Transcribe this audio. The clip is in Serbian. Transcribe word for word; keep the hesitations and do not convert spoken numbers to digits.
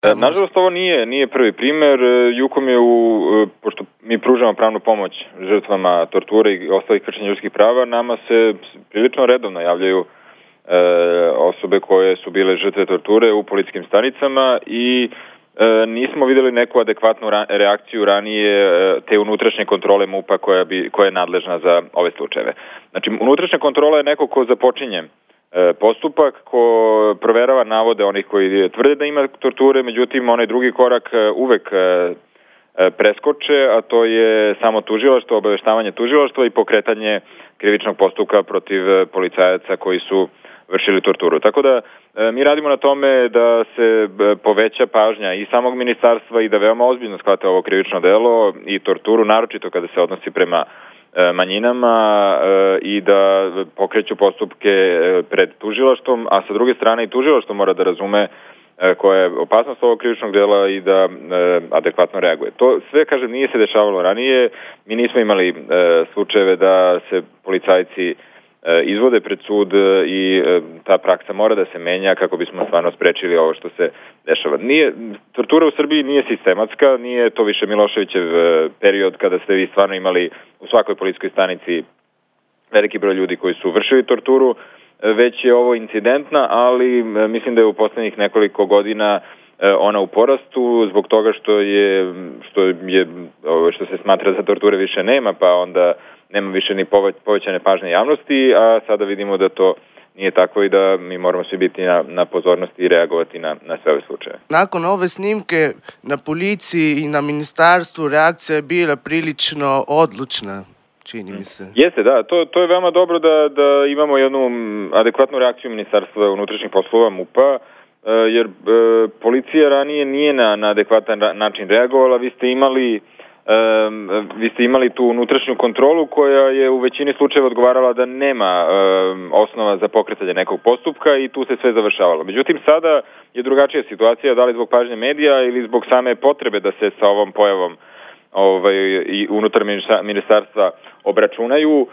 E, nažalost, ovo nije, nije prvi primer. Jukom je, u, pošto mi pružamo pravnu pomoć žrtvama torture i ostalih kršenja ljudskih prava, nama se prilično redovno javljaju e, osobe koje su bile žrtve torture u policijskim stanicama i e, nismo videli neku adekvatnu ra reakciju ranije e, te unutrašnje kontrole MUP-a koja, bi, koja je nadležna za ove slučajeve. Znači, unutrašnja kontrola je neko ko započinje postupak, ko proverava navode onih koji tvrde da ima torture, međutim onaj drugi korak uvek preskoče, a to je samo tužilaštvo, obaveštavanje tužilaštva i pokretanje krivičnog postupka protiv policajaca koji su vršili torturu. Tako da mi radimo na tome da se poveća pažnja i samog ministarstva i da veoma ozbiljno shvate ovo krivično delo i torturu, naročito kada se odnosi prema manjinama i da pokreću postupke pred tužilaštvom, a sa druge strane i tužilaštvo mora da razume koja je opasnost ovog krivičnog dela i da adekvatno reaguje. To sve, kažem, nije se dešavalo ranije. Mi nismo imali slučajeve da se policajci izvode pred sud i ta praksa mora da se menja kako bismo stvarno sprečili ovo što se dešava. Nije, tortura u Srbiji nije sistematska, nije to više Miloševićev period kada ste vi stvarno imali u svakoj policijskoj stanici veliki broj ljudi koji su vršili torturu, već je ovo incidentna, ali mislim da je u poslednjih nekoliko godina ona u porastu zbog toga što je što je što se smatra da torture više nema, pa onda nema više ni povećane pažnje javnosti, a sada vidimo da to nije tako i da mi moramo svi biti na, na pozornosti i reagovati na, na sve ove slučaje. Nakon ove snimke na policiji i na ministarstvu reakcija je bila prilično odlučna, čini mi se. Jeste, da. To, to je veoma dobro da, da imamo jednu adekvatnu reakciju Ministarstva unutrašnjih poslova MUP-a, jer e, policija ranije nije na, na adekvatan način reagovala. Vi ste imali Um, vi ste imali tu unutrašnju kontrolu koja je u većini slučajeva odgovarala da nema um, osnova za pokretanje nekog postupka i tu se sve završavalo. Međutim, sada je drugačija situacija, da li zbog pažnje medija ili zbog same potrebe da se sa ovom pojavom ovaj, i unutar ministarstva obračunaju.